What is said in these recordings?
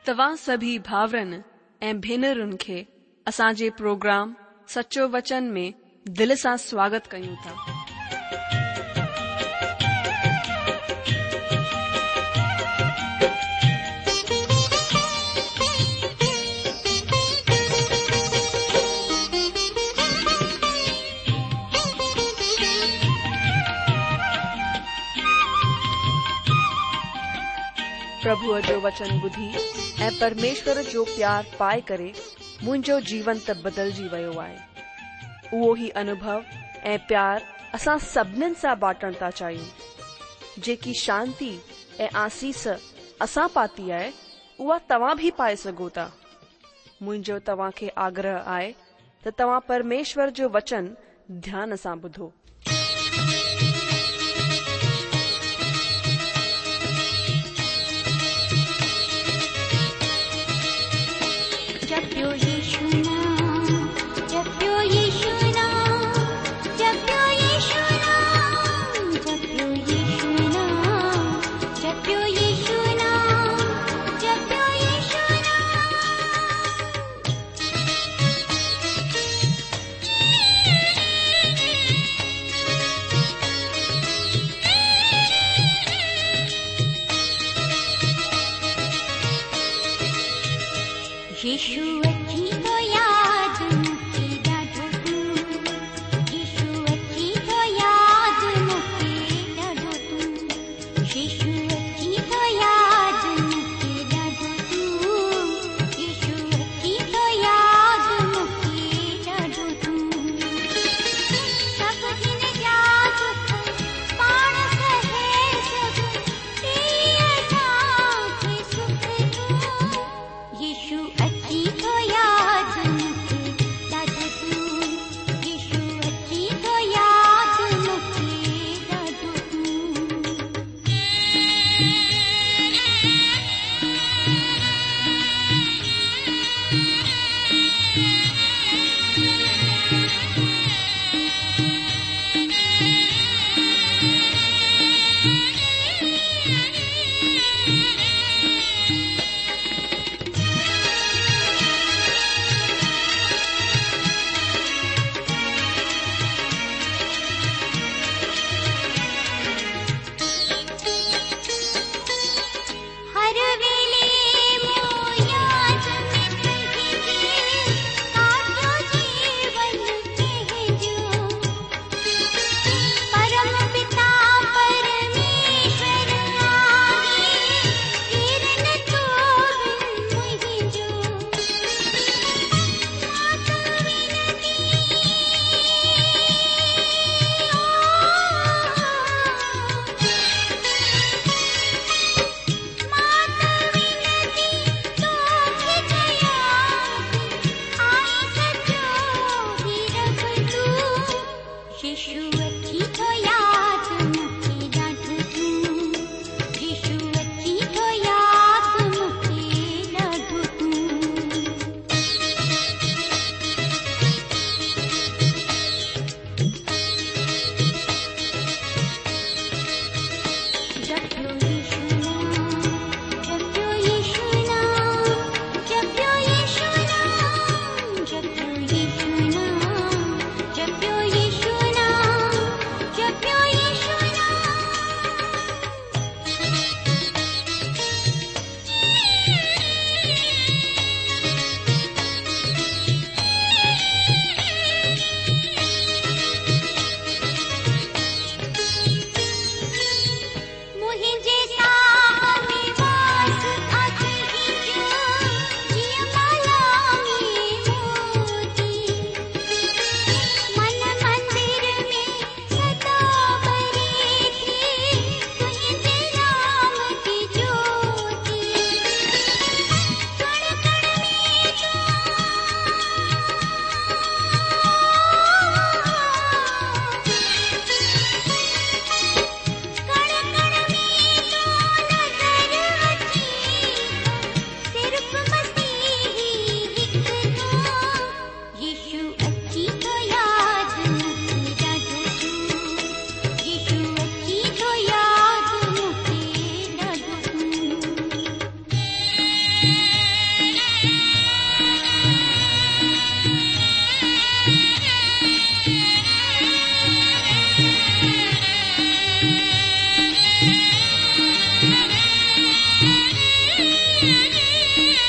توهان سڀئي ڀائرن ۽ ڀينرن کي اسان جي پروگرام سچو وچن ۾ دل سان سواگت ڪيون ٿا. پرڀوء جو وچن ٻڌي ۽ پرميشور جو پيار پائي ڪري منهنجو جيون ته بدلجي ويو آهي. اهو ئي انوڀو ۽ پيار اسان سڀنين سان بانٽڻ ٿا چاهيون. جيڪي شانتي ۽ آسيس اسان پاتي آهي، اها توهان به پائي سگهو ٿا. منهنجو توهان کي آگرهه آهي ته توهان پرميشور جو وچن ڌيان سان ٻڌو. جپيو يشو نام جپيو يشو نام جپيو يشو نام جپيو يشو نام جپيو يشو نام جپيو يشو نام. يشو اچي ٿو ياد مون کي ڏاڍو تون يشو اچي ٿو ياد مون کي ڏاڍو تون يشو اچي ٿو ياد مون کي ڏاڍو تون يشو اچي ٿو ياد مون کي ڏاڍو تون سڀ جن جا دک پاڻ سهي سڀ ڏي اسان کي سک تون يشو اچي ٿو ياد.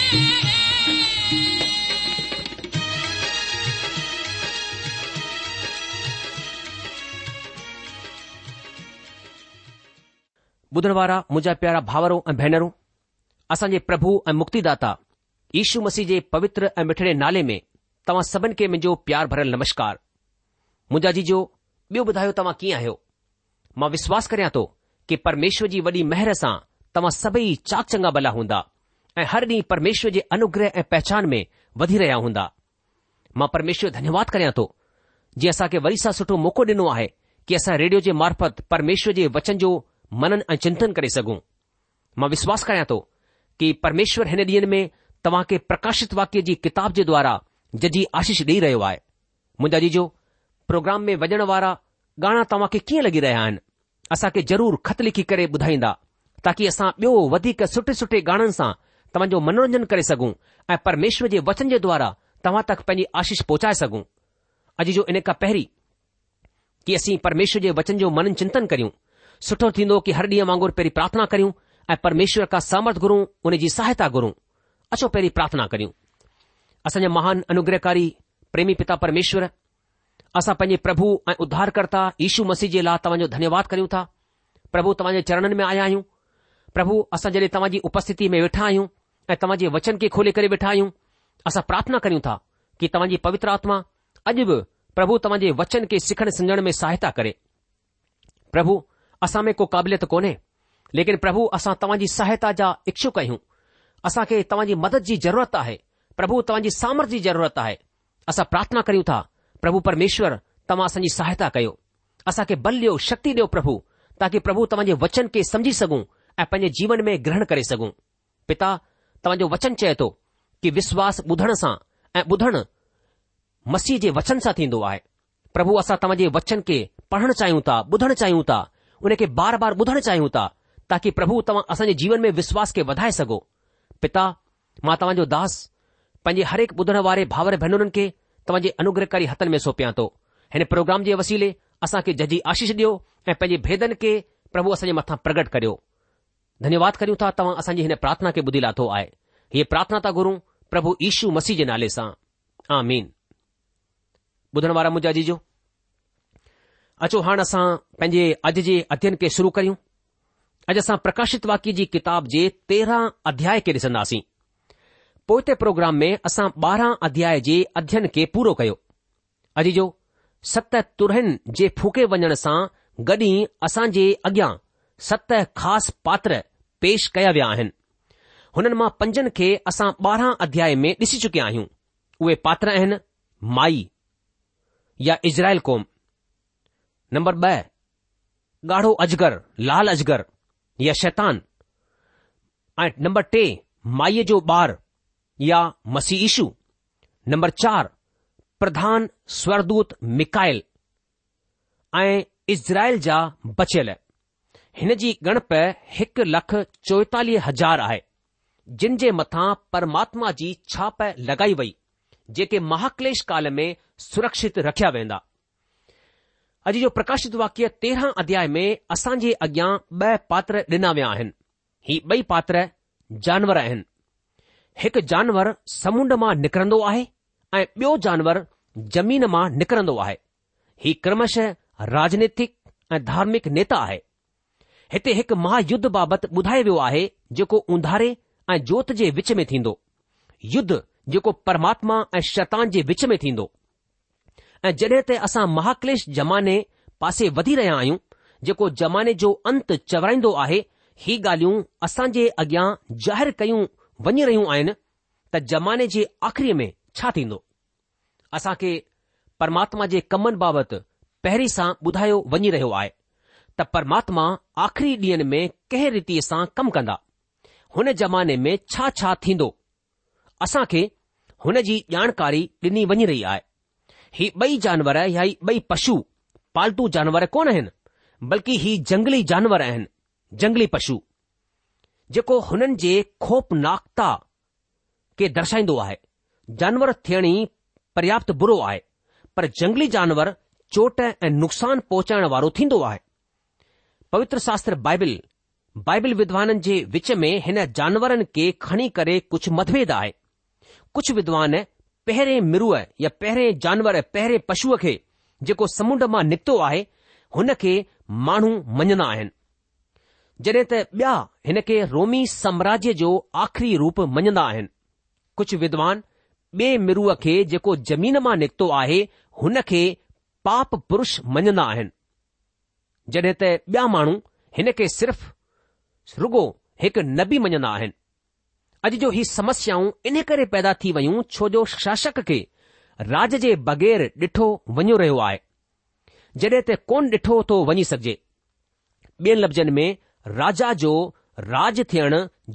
ٻڌڻ وارا منهنجا پيارا ڀاورو ۽ ڀينرون، اسان جي پرڀو ۽ مڪتيداتا يشو مسيح جي پوتر ۽ مٺڙي نالي ۾ توهان سڀن کي منهنجو پيار ڀريل نمشڪار. منهنجا عزيزو، ٻيو ٻڌايو توهان ڪيئن آهيو؟ مان وشواس ڪريان ٿو ڪي پرميشور جي وڏي مهر سان توهان سڀئي چاڪ چڱا ڀلا هوندا ۽ هر ڏينهن پرميشور جي انوگره ۽ پهچان ۾ وڌي رهيا هوندا. مان پرميشور جو ڌنيواد ڪريان ٿو جنهن اسان کي وري سان سٺو موقعو ڏنو آهي ڪي اسان ريڊيو جي معرفت پرميشور جي وچن جو منن ۽ چنتن ڪري سگهون. مان وشواس ڪريان ٿو ڪي پرميشور هن ڏينهن ۾ توهان کي پرڪاشت واڪيه جي ڪتاب جي دوارا ججهي آشيش ڏيئي رهيو آهي. منهنجا عزيزو، پروگرام ۾ وڄڻ وارا گانا توهان کي ڪيئن لڳي رهيا آهن؟ اسان کي ضرور خط لکي ڪري ٻڌائيندا تاڪي اسان ٻيو وڌيڪ سٺي سٺي گاڻن سان توهان جو منورنجن ڪري سگهون ۽ پرميشور جي وچن جي دوارا توهان تڪ پنهنجي آشيش پهچائي سگهون. عزيزو ان کان پهرين ڪي اسين پرميشور جي وچن جو منن چنتن ڪريون، سٺو ٿيندو ڪي هر ڏينهن وانگر پهرين پرارٿنا ڪريون ۽ پرميشور کان سامرٿ گهرون ان جي سهائتا گهرون. اچو پهرين پرارٿنا ڪريون. اسان جا مهان انوگرهڪاري پريمي پتا پرميشور، اسان پنهنجي پرڀو ۽ اڌارڪرتا يشو مسيح جي لاء توهان جو ڌنيواد ڪريون ٿا. پرڀو توهان جي چرڻن ۾ آيا آهيون. پرڀو اسان جڏهن توهان جي اپسٿتي ۾ ويٺا آهيون ۽ توهان جي وچن کي کولي ڪري ويٺا آهيون، اسان پرارٿنا ڪريون ٿا ڪي توهان جي پوتر آتما اڄ به پرڀو توهان جي وچن کي سکڻ سمجهڻ ۾ سهائتا ڪري. پرڀو اسان ۾ ڪو قابليت ڪونهي، ليڪن پرڀو اسان توهان جي سهائتا جا اڇڪ آهيون. اسان کي توهان جي مدد جي ضرورت آهي. پرڀو توهان جي سامرٿ جي ضرورت آهي. اسان پرارٿنا ڪريون ٿا، پرڀو پرميشور توهان اسان جي سهائتا ڪيو. اسان کي بل ڏيو، شڪتي ڏيو پرڀو، تاڪي پرڀو توهان جي وچن کي سمجهي سگهون ۽ پنهنجي جيون ۾ گرهڻ ڪري سگهون. پتا، توهان جو وچن چئي ٿو ڪي وشواس ٻڌڻ سان ۽ ٻڌڻ مسيح جي وچن سان ٿيندو آهي. پرڀو اسان توهان جي وچن کي پڙهڻ چاهيون ٿا، ٻڌڻ چاهيون ٿا، ان کي بار بار ٻڌڻ چاهيون ٿا، تاڪي پرڀو توهان اسان جي جيون ۾ وشواس کي وڌائي سگهو. پتا، مان توهان جو داس، پنهنجي هر هڪ ٻڌڻ واري ڀائر ڀينرن کي توهان جي انوگرهڪاري هٿن ۾ سونپيان ٿو. هن پروگرام جي وسيلي اسان کي ججهي آشيش ڏيو ۽ پنهنجي ڀيدن کي پرڀو اسان جي مٿان پرگٽ ڪريو. ڌنيواد ڪريون ٿا توهان اسان جي هن پرارٿنا کي ٻڌي لاٿو آهي. هيء پرارٿنا ٿا گهرون پرڀو يشو مسيح جي نالي سان. آمين. ٻڌڻ وارا منهنجا عزيزو، اچو هاڻ اسان پنهنجي اڄ جي اڌين کي شروع ڪريون. اڄ اسان پرڪاشت واڪيه جي ڪتاب جي 13 اڌياء کي ڏسنداسين. پوئتي پروگرام ۾ اسان 12 اڌياء جي اڌين کي پورو ڪيو. عزيزو، ست ترهين جي ڦوڪي وڃڻ سان گڏ ئي اسان جي اڳيان ست خاص پاتر پيش ڪيا ويا آهن. هنن مان پنجن کي اسان 12 اڌياء ۾ ڏسي چڪيا آهيون. اهي پاتر آهن مائي يا اسرائيل قوم، نمبر 2 ڳاڙهو اجگر، لال اجگر يا شيطان ۽ نمبر 3 مائيء جو ٻار يا مسيح يشو، نمبر 4 پرڌان سورگدوت ميڪائيل ۽ اسرائيل جا بچيل. هن جي ڳڻپ 1,44,000 آهي، جن جي مٿان پرماتما جي ڇاپ لڳائي وئي، جيڪي مهاڪليش ڪال ۾ سرڪشت رکيا ويندا. اڄ جو پرڪاشت واڪيه 13 اڌياء ۾ اسان جي اڳيان ٻه پاتر ڏنا ويا آهن. هي ٻئي پاتر جانور آهن. هڪ جانور سمنڊ مان نڪرندو آهي ۽ ٻيو جانور زمين مان نڪرندو آهي. هي ڪرمشه راجنيتڪ ۽ ڌارمڪ نيتا آهي. هتي هڪ مها يڌ بابت ٻڌايو ويو آهي جيڪو اونڌاري ۽ جوت جي وچ ۾ ٿيندو. يڌ جيڪو پرماتما ۽ شيطان جي وچ ۾ ٿيندو. ۽ جڏهن ته اسان مهاڪليش زماني پاسي وڌي رهيا آهيون جيڪو زماني جو انت چورائيندو آهي، هي ڳالهيون اسان جي اڳيان ظاهر ڪيون وڃي رهيون آهن ته زماني جي آخري ۾ ڇا ٿيندو. اسان کي پرماتما جي ڪمن بابت پهرين سان ٻڌايو وڃي رهيو آهي ته پرماتما آخري ڏينهن ۾ ڪنهن ريتيء سان ڪم ڪندا، هن زماني ۾ ڇا ڇا ٿيندو. اسان کي هن جي ڄاڻڪاري ڏني وڃي رهي آهي. هي ٻئي جانور يا هي ٻئي پشو پالتو جانور ڪونه آهن، بلڪه هي جنگلي جانور آهن، جنگلي پشو، جيڪو هنن جي خوفناڪتا کي درشائيندو آهي. جانور ٿيڻ ئي پرياپت برو آهي، پر جنگلي جانور چوٽ ۽ نقصان پهچائڻ وارو ٿيندو آهي. پوتر شاستر بائبل. بائبل ودوانن جي وچ ۾ هن جانورن کي کڻي ڪري ڪجهه متڀيد آهي. ڪجهه ودوان پهرين مرونء يا پهرين جانور، پهرين پشوء کي جيڪو سمنڊ مان نڪتو آهي، هن کي ماڻهو مڃندا آهن. جڏهن ته ٻيا هن کي رومي سامراجيه جو آخري روپ مڃندا آهن. ڪجهه ودوان ٻئي مرونء کي جيڪو زمين مان نڪتو آهي، هن کي پاپ پرش مڃندا آهن. جڏهن ته ٻيا ماڻهو هن کي صرف رڳو هڪ نبي مڃندا آهن. اڄ جو هي سمسيائون انهي ڪري پيدا ٿي ويون ڇو جو شاشڪ کي راڄ جي بغير ڏٺو وڃيو رهيو آهي. جڏهن ته ڪونه ڏٺو ٿو وڃي سگهجي. ٻين لفظن ۾ راجا جو راڄ ٿيڻ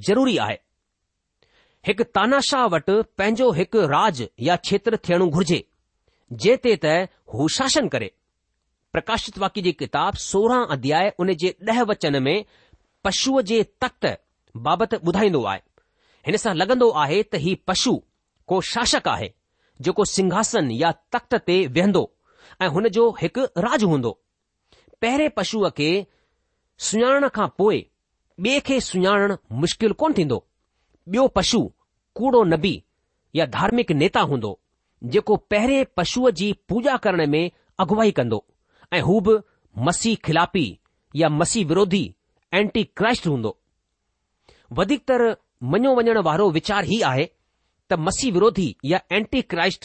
ضروري آهي. هڪ تاناشاهه وٽ پنهنجو هڪ راڄ يا ڇيتر ٿيڻو گهرجي، جنهن تي ته هو شاسن ڪري. پرڪاشت واڪيه جي ڪتاب 16 اڌياء ان جي ڏهه وچن ۾ پشوء جي تخت بابت ٻڌائيندو آهي. هن سان لڳندو آهي ته هي پشو ڪو شاشڪ آهي جيڪو سنگهاسن يا تخت تي ويهندو ۽ هن جو هڪ راڄ هوندو. پهرين پشوء کي سڃاڻڻ کان پوء ٻئي کي سڃاڻڻ مشڪل ڪونه ٿيندو. ٻيو پشو ڪوڙو نبي يا ڌارمڪ نيتا هوندو، جيڪو پهرين پشوء جي پوڄا ڪرڻ ۾ اڳواهي ڪندو ۽ هو به مسيح خلافي يا مسيح وروڌي، Anti Christ، هوندو. وڌيڪ تر مڃيو وڃڻ وارو ويچار هي آهي ته مسيح وروڌي يا اينٽي ڪرائسٽ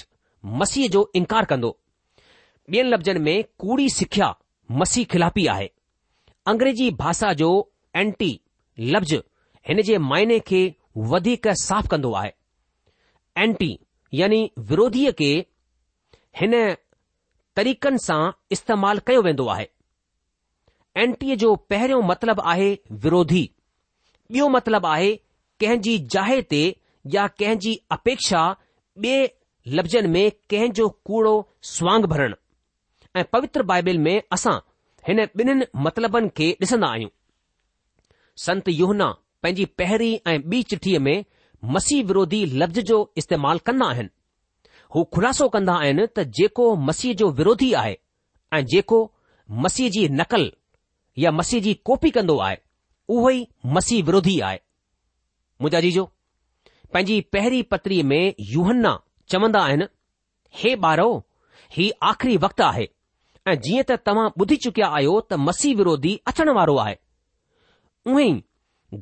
مسيح جو انڪار ڪندو. ٻين لفظن ۾ ڪوڙي سکيا مسيح خلافي آهي. انگريزي ڀاشا جو اينٽي لفظ هن جي معني کي وڌيڪ صاف ڪندو آهي. اينٽي يعني وروڌيء کي هن طريقن سان استعمال ڪيو ويندو آهي. اينٽيء جو پهريون مطلب آهي وروڌي. ٻيو مطلب آهي ڪنهن جي جاء تي يا ڪنهن جي اپيڪشا ٻئي لفظن ۾ ڪنهن جو ڪوڙو سوانگ ڀرڻ. ۽ پوتر بائبل ۾ اسان هن ٻنهين مطلبن کي ڏسندا آهيون. سنت يوحنا پنهنجي پهرين ۽ ٻي چٺيء ۾ مسيح وروڌي لفظ جو استعمال ڪندا آهن. هو خلاصو ڪندا آهن ته جيڪو مسيح جو وروڌي آهي ۽ جيڪو مسيح جي نقل يا مسيح جي ڪاپي ڪندو آهي، اهو ئي مسيح وروڌي آهي. منهنجا عزيزو، پنهنجي پهرين پتريء ۾ يوحنا چوندا آهن، هي ٻارؤ! هي آخري وقت آهي ۽ جيئن ته توهان ٻڌي چڪيا آهيو ته مسيح وروڌي اچڻ وارو آهي، اونهي ئي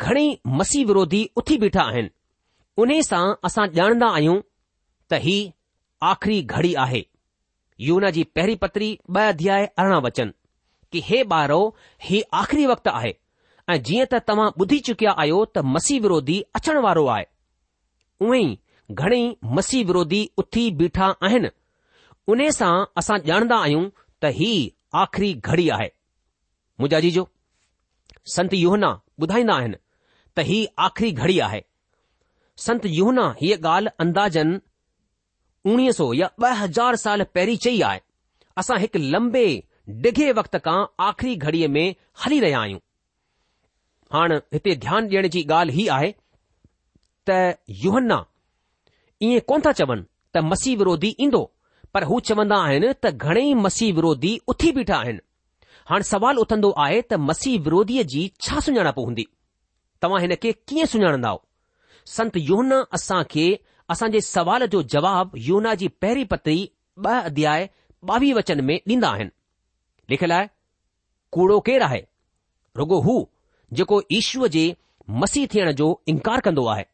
گهڻيئي مسيح وروڌي اٿي بيٺا آهن. انهي سان اسان ڄاڻندا آهيون ته هي آخري گهڙي آهي. يوحنا جي پهرين پتري ٻه اڌياء 18 وچن، ڪي هي ٻارؤ! هي آخري وقت آهي ۽ جيئن ته توهان ٻڌي چڪيا آهيو ته مسيح وروڌي اچڻ وارو آهي، اونهي ئي گهڻيئي مسيح وروڌي اٿي بيٺا آهن. انهي سان اسان ڄاڻندا آهيون ته هي آخري گهڙي آهي. منهنجا عزيزو، سنت يوحنا ٻڌائيندا آهن ته هي آخري گهڙي آهي. سنت يوحنا هيء ڳالهه اندازن اوڻيهه سو يا 2000 سال پهرين چئي آهي. اسان هڪ لنبي ڊگهي وقت کان آخري گهڙيء ۾ هلي رهيا آهيون. هاڻ هتي ڌيان ڏيڻ جي ڳالهه هي آهي ته يوحنا ائين ڪونه ٿا چون ته مسيح وروڌي ايندو پر هو چوندا آهن ته گهڻيئي مسيح وروڌي اٿي بيٺا آهن. هاڻ سوال اٿندو آهي ته مسيح وروڌيء جي ڇا سڃاڻپ هوندي؟ توهان هن کي ڪيئن سڃاڻندائو؟ سنت يوحنا اسان کي اسان جي سوال جو جواب يوحنا جي پهرين پتري ٻه اڌياء ٻاويهه وچن ۾ ڏيندا آهن. لکيل آهي، ڪوڙو ڪير آهي؟ رڳو هو جيڪو يشوء جي مسيح ٿيڻ جو انڪار ڪندو آهي،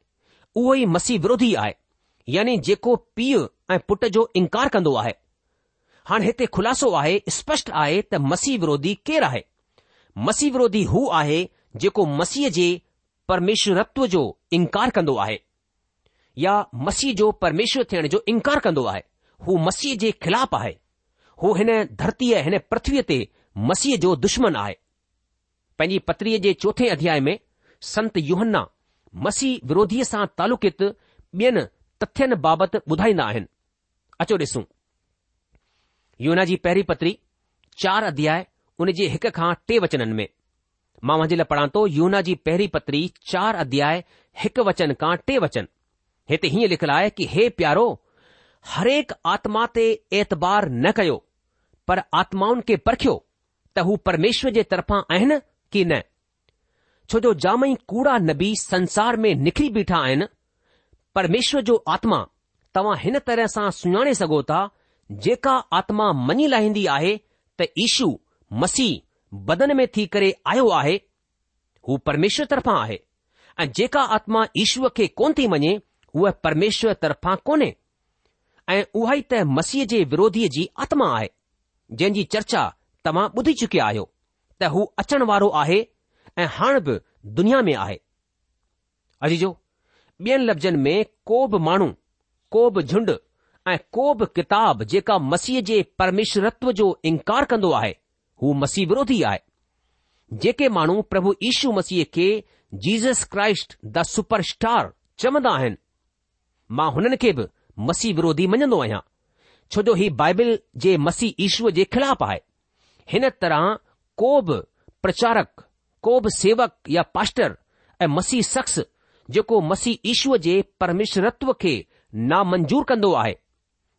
اهو ئي مسيح وروڌي آهي، يعني جيڪو پيء ۽ پٽ جو انڪار ڪندو آهي. هاڻ هتي خلاصو آهي، اسپشٽ آهي ته مسيح وروڌي ڪير آهي؟ مسيح وروڌي هو آهي جيڪو مسيح جي پرميشورتو جو انڪار ڪندو آهي يا مسيح جو پرميشور ٿيڻ جو انڪار ڪندو آهي. هو مسيح جي خلاف آهي. هو هن ڌرتيء، هن پرٿويء تي مسيح جو دشمن آهي. پنهنجي پتريء جي چوٿين اڌياء ۾ سنت يوحنا مسيح وروڌيء سان تعلقيت ٻين تٿين بابت ٻڌائيندا آهن. اچو ڏسون. يوحنا جي پهرين پتري، چار اڌياء ان جي هڪ کان ٽي وچنن ۾. مان اوهان جي لاء پڙهان ٿو يوحنا جي پهرين پتري چار اڌياء هڪ وچن کان ٽي وچن. هتي هيئن لکيل آهي ڪي هي پيارو! هرهڪ آتما تي اعتبار نه ڪيو، پر آتمائن کي پرکيو ته هو پرميشور جي طرفان آهن ڪي نه. ڇو جو جام ئي ڪوڙا نبي سنسار ۾ نڪري بيٺا آهن. پرميشور جو آتما توهان هن طرح سان سڃاڻي سگهو ٿا، جيڪا آتما مڃي لاهيندي آهي ته يشو مسيح بدن ۾ ٿي ڪري آيو آهي، هو پرميشور طرفان آهي ۽ جيڪا آتما يشوء کي ڪونه ٿي مڃي، هوء پرميشور طرفان ڪونهي ۽ اها ئي ته مسيح جي وروڌيء جي آتما آهي، جنهن جي چرچا توهان ٻڌي چڪيا آهيو ته هو اچڻ وارو آهي ۽ هاڻ به دنيا ۾ آهي. عزيزو! ٻين لفظن ۾ ڪو به ماڻهو، ڪو به جهنڊ ۽ ڪو به ڪتاب جيڪا مسيح جي پرميشورتو جو انڪار ڪندو آهي، هو مسيح وروڌي آهي. جيڪي ماڻهو پرڀو يشو مسيح کي Jesus Christ the super star چوندا آهن، مان هنن کي به مسيح وروڌي مڃندو آهيان، ڇو جو هي بائبل جي مسيح يشوء جي خلاف آهي. هن طرح ڪو به پرچارڪ، ڪو به سيوڪ يا پاسٽر ۽ مسيح شخص جيڪو مسيح يشوء جي پرميشورتو کي نامنظور ڪندو آهي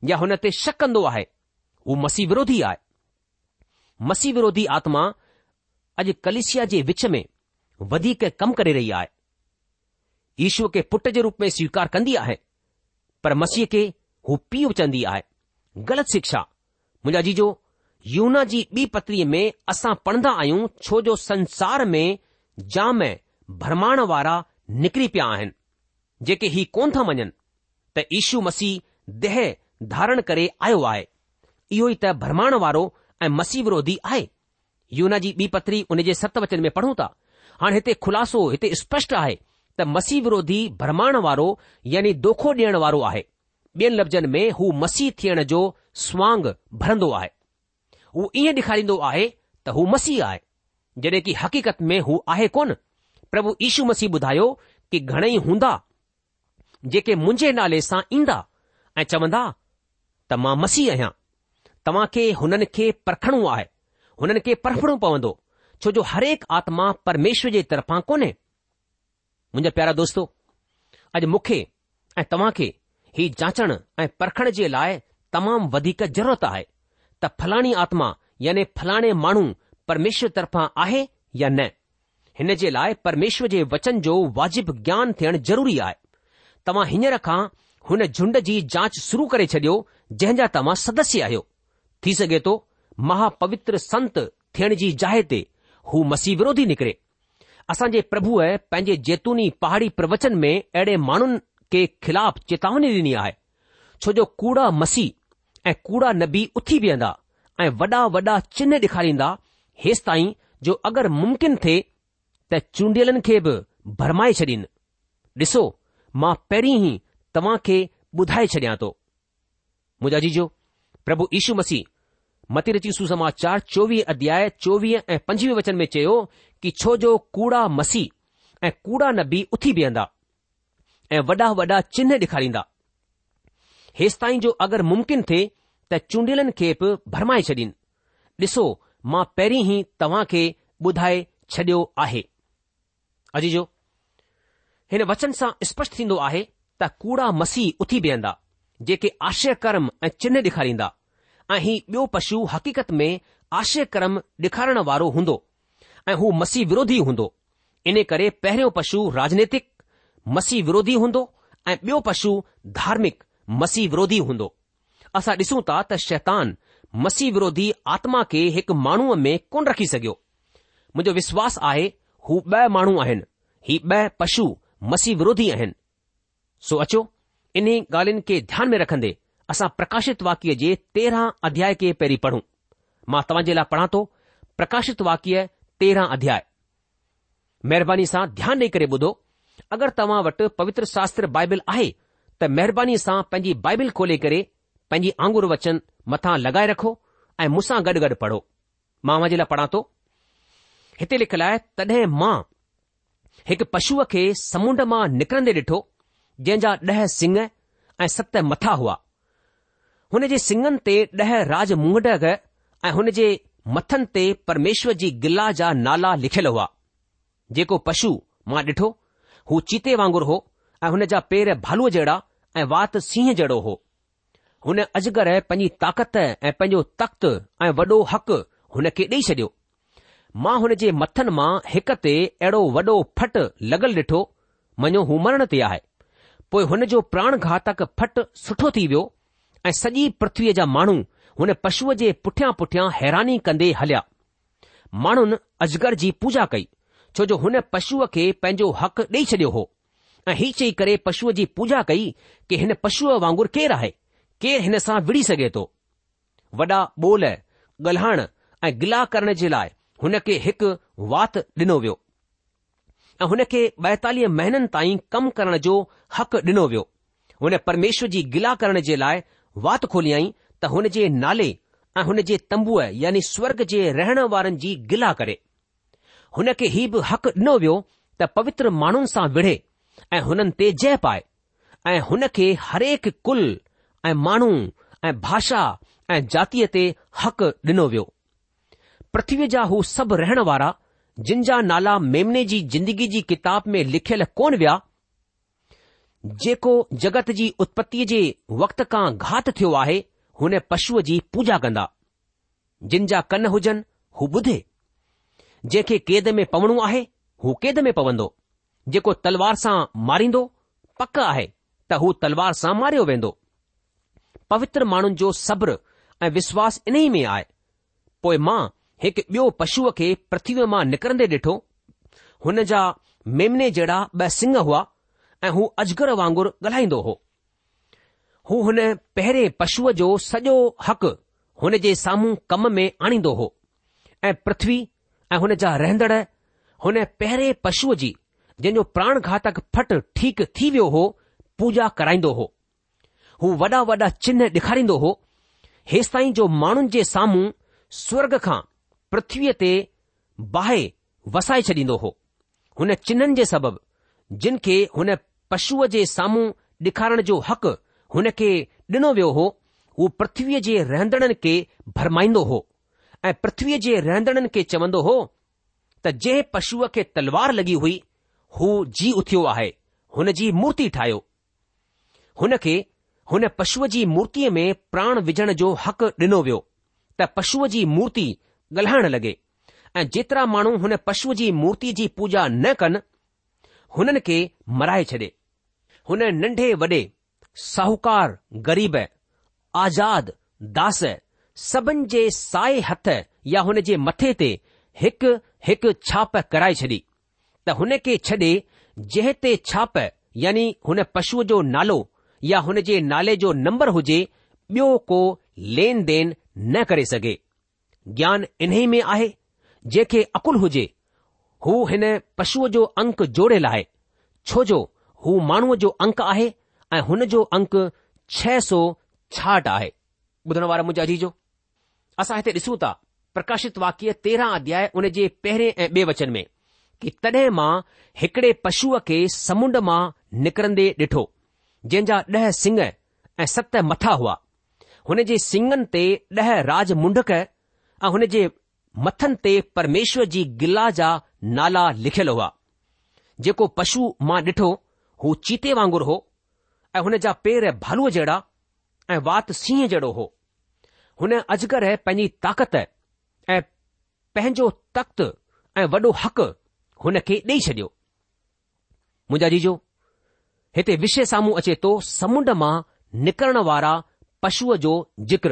يا هن تي شڪ ڪندو آهي، هو مسيح وروڌي آهي. مسيح وروڌي آتما اڄ ڪليسيا جي وچ ۾ وڌيڪ ڪم ڪري رهي آهي. يشوء کي پٽ جي روپ ۾ سويڪار ڪندي آهي، پر مسيح کي هو پيء چوندي آهي. غلط شڪشا. منهنجا عزيزو، يوحنا جي ٻي پتريء ۾ اسان پڙهندا آهيون ڇو جو سنسار ۾ جام ڀرمائڻ وارا نڪري پيا آهن، جيڪي هي ڪونه ٿا مڃن ته يشو مسيح ديهه ڌارڻ ڪري آيو آهي. اهو ئي ته ڀرمائڻ وارو ۽ مسيح وروڌي آهي. يوحنا جي ٻي پتري ان جي ست وچن ۾ پڙهون ٿا. هاڻ هتي خلاصو هتي اسپشٽ آهي ته مسيح وروڌي ڀرمائڻ وارو يعني دوکو ڏيڻ وارو آهي. ٻين لفظن ۾ هو مسيح ٿيڻ جو سوانگ ڀرندو آهي. هو ائين ڏيکاريندو آهي ته هو مسيح آهي، جڏهن ڪي حقيقت ۾ هو آهي ڪونه. پرڀو يشو مسيح ٻڌايو ڪي گهڻئي هوندا جيڪي منهنجي نالي سان ايندا ۽ چوندا ته مان مسيح آهيان. توهان کي هنن کي پرکڻو آهي، هنن کي پرکڻو پوندو، ڇو جو هرهڪ آتما پرميشور جي طرفان ڪونهي. منهنجا پيارا دوستو، اڄ مون کي ۽ توهان کي هي جانچڻ ۽ پرکڻ جي لاء تمام وڌيڪ ضرورت آهي ته فلاڻي آتما يعني فلاڻي ماڻهو پرميشور طرفان آهي يا نه. هن جي لاء پرميشور جي وچن جو واجب گيان ٿيڻ ضروري آهي. توهان هينئر کان هن جهنڊ جي جانچ شروع ڪري ڇڏيو جنهن جا توهان سدسيه آهيو. ٿي سگهي ٿو مها پوتر سنت ٿيڻ جي جاء تي هو مسيح وروڌي نڪري. اسان جي پرڀوء پنهنجي زيتوني پهاڙي پروچن ۾ اهڙي ماڻهن کي خلاف چيتاوني ڏني آهي، ڇو جو ڪوڙا مسيح ۽ ڪوڙا نبي اٿي بيهندا ۽ وڏا وڏا چنه ڏيکاريندا، هيستائين جو اگر ممڪن ٿئي ته چونڊيلن کي به ڀرمائي ڇڏين. ڏسو، مان پهرين ئي توهان کي ٻڌائي ڇڏيان ٿو. منهنجا عزيزو، پرڀو يشو مسيح متي رچي سوسماچار 24 اڌياء 24 ۽ 25 وچن ۾ چيو ڪي ڇو جو ڪوڙا مسيح ۽ ڪوڙا نبي اٿي بيهندا ۽ وڏا وڏا چنه ڏيکاريندا هيستائين جو اگر ممڪن ٿئي ته چونڊيلن کي به ڀرمائي ڇڏين. ڏسو مان پهرين ئي توهان کي ٻڌائي ڇڏيو آهي. عزيزو! هن وچن سان اسپشٽ ٿيندو آهي ته ڪوڙا مسيح اٿي بيهندا، جيڪي آشچريه ڪرم ۽ چنه ڏيکاريندا ۽ هي ٻيو پشو حقيقت ۾ آشچريه ڪرم ڏيکارڻ وارو هوندو ۽ هو مسيح وروڌي هوندو. ان ڪري پهريون پشو راجنيتڪ مسيح وروڌي هوندو ۽ ٻيو پشو ڌارمڪ مسيح وروڌي هوندو. اسان ڏسون ٿا ته شيطان مسيح وروڌي آتما کي هڪ ماڻهوء ۾ ڪونه رکي سگهيو. منهنجو وشواس آهي هو ٻه ماڻهو آهن، هي ٻه پشو مسيح وروڌي آهن. سو اچو انهي ڳالهين کي ڌيان ۾ رکندي اسان پرڪاشت واڪيه جي 13 اڌياء کي پهرين پڙهون. مان توهان جي لاء پڙهان ٿو پرڪاشت واڪيه 13 اڌياء. مهرباني سان ڌيان ڏئي ڪري ٻڌو. اگر توهان وٽ پوتر شاستر بائبل آهي ته مهرباني سان پنهنجي بائبل کولي ڪري پنهنجي آڱر وچن مٿان لڳائي رکو ۽ مون سان گڏ گڏ پڙهو. مان اوهان جي لاء پڙهان ٿو. هتي لکيل آهي، تڏهن مان هڪ پشوء کي سمنڊ مان نڪرندي ڏٺو، جنهن جا ڏهه سڱ ۽ ست مٿا هئا. هن جي سڱن تي ڏهه راج منگٽ ۽ هن جي مٿن تي پرميشور جي گلا جا نالا لکيل هئا. جيڪو پشو مان ڏٺو، هو چيتي وانگر هو ۽ هن جا پير ڀالوء جهڙا ۽ وات سينهن جهڙو هو. هن اجگر پنهنجي طاقت ۽ پنهنجو تخت ۽ وڏو حق هن کي ڏيئي ڇڏيو. مان هن جي مٿن مان هڪ تي اهڙو وڏو ڦٽ لڳل ڏٺو، مڃو هو مرڻ تي آهي. پوء هن جو پراڻ گهاتڪ ڦٽ سٺو ٿي ويو ۽ سڄي پرٿويء جا ماڻهو هن پشوء جي پٺيان پٺيان حيراني ڪندي هليا. ماڻهن اجگر جي پوڄا ڪئي، ڇو جو هن پشوء کي پنهنجو حق ڏيئي ڇڏيو هو ۽ هي چئي ڪري پشوء جي پوڄا ڪئي ڪي هن پشوء وانگر ڪير آهي؟ ڪير هن سان وڙهي سگهي ٿو؟ وڏا ٻول ڳالهائڻ ۽ گلا ڪرڻ جي لاء هن کي هڪ وات ڏنو ويو ۽ هن کي 42 مهينن تائين ڪم ڪرڻ جو حق ڏنو ويو. هن پرميشور جي گلا ڪرڻ جي لاء وات کوليائين ته هن جي نالي ۽ هن جي تنبوء يعني سورگ جي رهڻ وارن جي گلا ڪري. هن کي هي به حق ڏنو ويو ته پوتر ماڻهن سان وڙهي ۽ هنن تي جئه پائي. ۽ هن کي هرهڪ ڪل ۽ ماڻهو ۽ ڀاشا ۽ جاتيء تي حق ڏنو ويو. پرٿويء جا هو سڀ رهڻ وارا، جن جا نالا ميمني جي زندگي جي ڪتاب ۾ لکيل ڪونه ويا، جيڪو جڳت جي اتپتيء جي وقت کان گهات ٿيو آهي، هن پشوء جي پوڄا ڪندا. جن جا ڪن هجن، هو ٻڌي. جنهن کي قيد ۾ پوڻو آهي، هو قيد ۾ پوندو. جيڪو تلوار سان ماريندو، پڪ آهي ته هو تلوار سان ماريو ويندو. پوتر ماڻهن جو صبر ۽ وشواس انهي ۾ آهي. پوء مان هڪ ٻيو پشوء کي پرٿويء مان نڪرندي ڏٺو. هن جا ميمني جهڙا ٻه سڱ هئا ۽ هو اجگر وانگر ڳالهائيندو هو. هو هن پهرين پشوء جو سڄو حق هن جي سامهون ڪم ۾ آڻيندو هو ۽ پرٿوي ۽ هن جا رهندڙ هن پهرين پشوء جي، جنهن جو پراڻ گهاتڪ ڦٽ ٺيڪ ٿي ويو هو، پوڄا ڪرائيندو هو. هو وڏا وڏا چنهه ڏيکاريندو هو، هيستائين جو ماڻهن جي سامهون سورڳ کان پرٿويء تي باهه وسائي ڇڏيندو هو. هن چنهن جي سبب، جن کي هن پشوء جي سامهون ڏيکارڻ جو حق هن کي ڏنو ويو هو، هو پرٿويء جي رهندڙن کي ڀرمائيندو هو. ۽ پرٿويء جي رهندڙن کي چوندو هو ته جنهن پشوء کي تلوار لڳي هئي، هو جي اٿيو آهي، هن جي مورتي ٺاهيو. هن کي هن پشوء جي مورتيء ۾ پراڻ وجهڻ جو حق ڏنو ويو ته پشوء جي مورتي ڳالهائڻ لڳي ۽ جيترا ماڻهو هن پشوء جي مورتيء جي پوڄا نه ڪن، هنن کي مرائي ڇڏي. هن ننڍي وڏي ساهوڪار، غريب، آزاد، داس، سڀن جي سائي هٿ يا هن جي مٿي تي هڪ هڪ ڇاپ ڪرائي ڇڏي ته هن کي ڇڏي جنهن تي ڇاپ يعني هن پشوء جو نالو يا هن جي نالي جو نمبر هجي ٻيو ڪو لين دين نه ڪري سگهي. گيان انهي ۾ آهي، جنهن کي عقل هجي، هو هن پشوء جو انڪ جوڙي لاهي، ڇو جو هو ماڻهوء جو انڪ آهي ۽ هن جو انڪ 666 آهي. ٻڌڻ وارا منهنجا عزيزو! اسان هتي ڏسون ٿا، پرڪاشت واڪيه 13 اڌياء ان جي پهرين ۽ ٻئي وچن ۾، ڪي تڏهن مان هڪڙي پشوء کي سمنڊ مان نڪرندي ڏٺو، جنهن جا ڏهه سڱ ۽ ست مٿا هئا. هن جي سڱن تي ڏهه راج منڍڪ ۽ هن جي مٿن تي پرميشور جي گلا جا نالا لکيل هئا. جيڪو پشو مان ڏٺو هو چيتي وانگر هو ۽ هن جا پير ڀالوء جهڙا ۽ وات سينهن جهڙو هو. هن اجگر پنهنجي طاقت ۽ پنهنجو تخت ۽ وڏو حق هن کي ڏيئي ڇڏيو. منهنجا عزيزو، هتي وشي سامهون اچي ٿو سمنڊ مان نڪرڻ وارا پشوء جو ذڪر.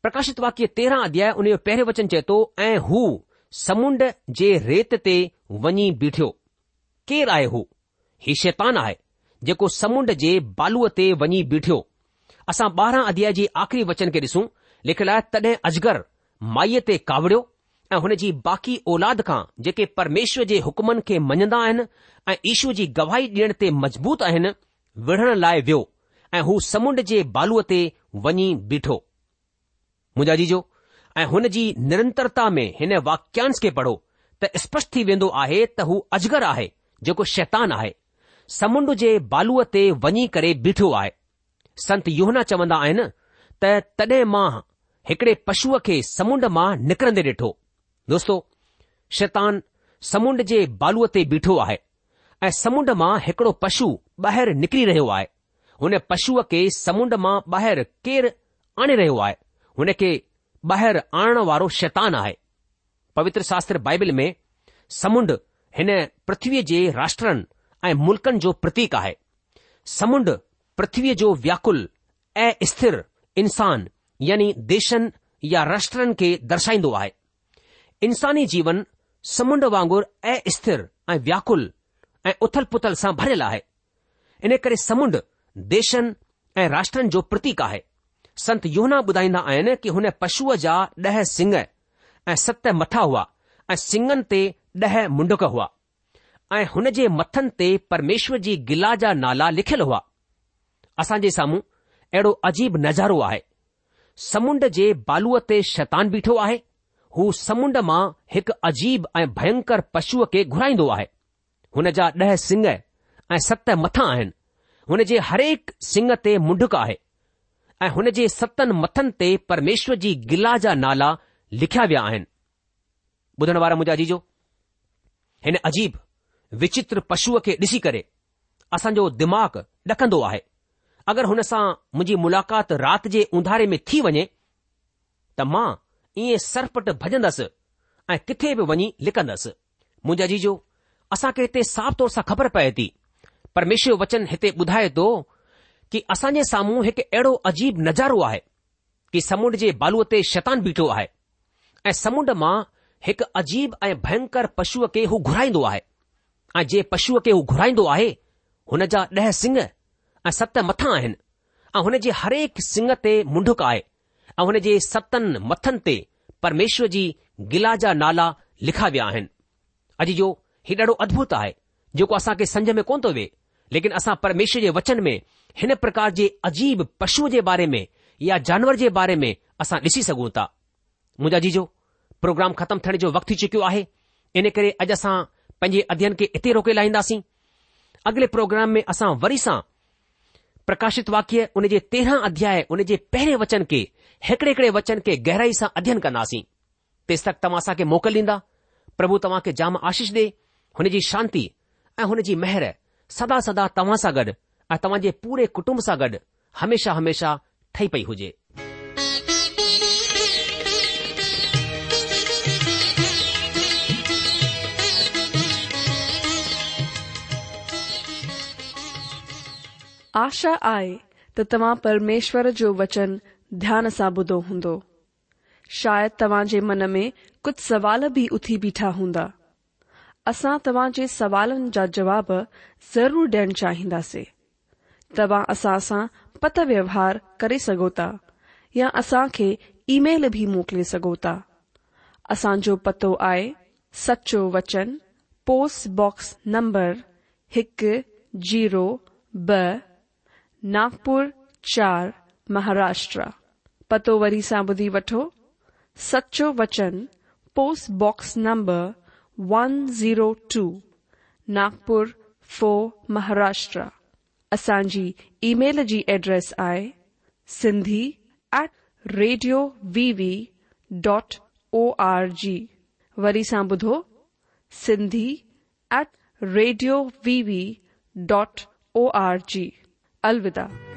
پرڪاشت واڪيه 13 اڌياء ان جو پهريون وچن چئي ٿو ۽ هو سمنڊ جي ريت تي وڃي بيٺيو. ڪير آهي هو؟ هي شيطان آهي جيڪو سمنڊ جي بالوء تي وڃي بيٺيو. اسان 12 اڌياء جي آخري وچن کي ڏسون، لکيل آهي تڏهن اجگر مائيء تي ڪاوڙيو ۽ هن جي باقي اولاد کان جيڪي پرميشور جي حڪمن کي مڃندا آهن ۽ يشوء جي گواهي ڏيڻ تي مضبوط آهن، وڙهڻ لاء ويو ۽ هو سمنڊ جي بالوء تي وڃي بيٺو. منهنجا عزيزو، ۽ هن جي نرنترتا ۾ هن واڪيانش کي پڙهو ته اسپشٽ ٿي ويندو آهي ته هو اجگر آهي جيڪو شيطان آهي، سمنڊ جي بالوء تي وڃي ڪري بيٺو آهي. سنت يوحنا چوندا آهن ته تڏهن مان هڪڙي پشوء کي سمنڊ مان نڪرندي ڏٺو. دوستو، شيطان سمنڊ جي بالوء تي بيٺو آهي ۽ سمنڊ مان هڪڙو پشو ٻاهر نڪري رهيو آهي. هن پشوء کي سمنڊ مان ٻاهر ڪير آڻي رهيو آهي؟ هن کي ٻاهر آڻڻ وارو شيطان آهي. پوتر شاستر بائبل ۾ سمنڊ هن پرٿويء جي راشٽرن ۽ ملڪن جو پرتيڪ آهي. سمنڊ پرٿويء جو وياڪل ۽ اسٿر انسان يعني ديشن يا راشٽرن کي درشائيندو آهي. انساني جيون سمنڊ وانگر اسٿر ۽ وياڪل ۽ اٿل پٿل سان ڀريل آهي. ان ڪري سمنڊ ديشن ۽ راشٽرن جو پرتيڪ آهي. سنت يوحنا ٻڌائيندا آهن ڪي هن پشوء جا ڏهه سڱ ۽ ست مٿا هئا ۽ سڱن تي ڏهه منڍڪ هئا ۽ هن جي مٿن تي پرميشور جي گلا جا نالا لکيل هئا. اسان جي سامهون اهڙو عجيب نظارو آهي. سمنڊ جي بالوء تي شيطان بيٺو آهي. هو سمنڊ مان هڪ عجيب ۽ ڀينڪر پشوء کي گهرائيندو آهي. هن جا ڏهه سڱ ۽ ست مٿا آهن. هن جي هرهڪ سڱ تي منڍڪ آهي ۽ هن جي ستن مٿن تي پرميشور جي گلا جا نالا لکيا ويا آهن. ٻڌڻ وارا منهنجا عزيزو، هن عجيب وچتر پشوء کي ڏسي ڪري اسان جو دماغ ڏڪندو آهي. اگر هن سان منهنجي ملاقات رات جي اونڌاري ۾ ٿي وڃي ته مان ائين سرپٽ ڀڄندس ۽ ڪٿي به وڃي لڪندس. منهنجا عزيزو، اسان کي هتي صاف طور سان خبر پئي ٿي، پرميشور جو وچن هتي ٻڌائي ٿو ڪي اسان جي سامهون هڪ اهڙو عجيب نظارو آهي ڪي سمنڊ جي بالوء تي شيطان بيٺو آهي ۽ سمنڊ مان هڪ عجيب ۽ ڀينڪر پشوء کي هو گهرائيندو آهي ۽ جنهن پشوء کي هو گهرائيندو آهي هن جا ڏهه سڱ ۽ ست مٿا آهن ۽ هن جي هرهڪ سڱ تي منڍڪ آهي ۽ هن جي ستن مٿن تي پرميشور جي گلا جا نالا لکا ويا آهن. عزيزو، هي ڏاڍو ادڀت آهي، جيڪو اسان کي سمجهه ۾ ڪونه ٿو وي، ليڪن اسان پرميشور جي وچن ۾ هن پرڪار جي عجيب پشوء جي باري ۾ يا جانور جي باري ۾ اسان ڏسي سگهون ٿا. منهنجا عزيزو، پروگرام ختم ٿيڻ جو وقت ٿي چڪيو آهي، ان ڪري اڄ اسان پنهنجي اڌين کي اتي روڪي لاهينداسين. اڳلي پروگرام ۾ اسان وري سان پرڪاشت واڪيه ان جي تيرهن اڌياء ان جي پهرين وچن کي هڪڙي هڪڙي وچن کي گهرائي سان اڌين ڪنداسين. تيستڪ توهان اسان کي موڪل ڏيندا. پرڀو توهان کي جام آشيش ڏي. هن جي شانتي ۽ هن جي مهر سدا سدا توهان سان گڏ ۽ توهان جي پوري ڪٽنب سان گڏ هميشه هميشه ٺهي پئي هجي. آشا آهي ته توهان پرميشور جو وچن ڌيان سان ٻڌو هوندو. شايد توهان جي من ۾ ڪجهه سوال به اٿي بيٺا هوندا. اسان توهان جي سوالن جا جواب ضرور ڏيڻ چاهينداسين. توهان اسان سان پتر ويوهار ڪري سگهو ٿا يا اسان کي اي ميل به موڪلي سگهو ٿا. اسان جو پتو آهي سچو وچن پوسٽ باڪس نمبر هڪ زيرو ٻه ناگپور چار مهاراشٽرا. پتو وري سان ٻڌي وٺو، سچو وچن post box number one zero two Nagpur four Maharashtra. اسان جي اي ميل جي ايڊريس آهي Sindhi at radio V V dot O R G. وري سان ٻڌو Sindhi at radio V V dot O R G. الوداع.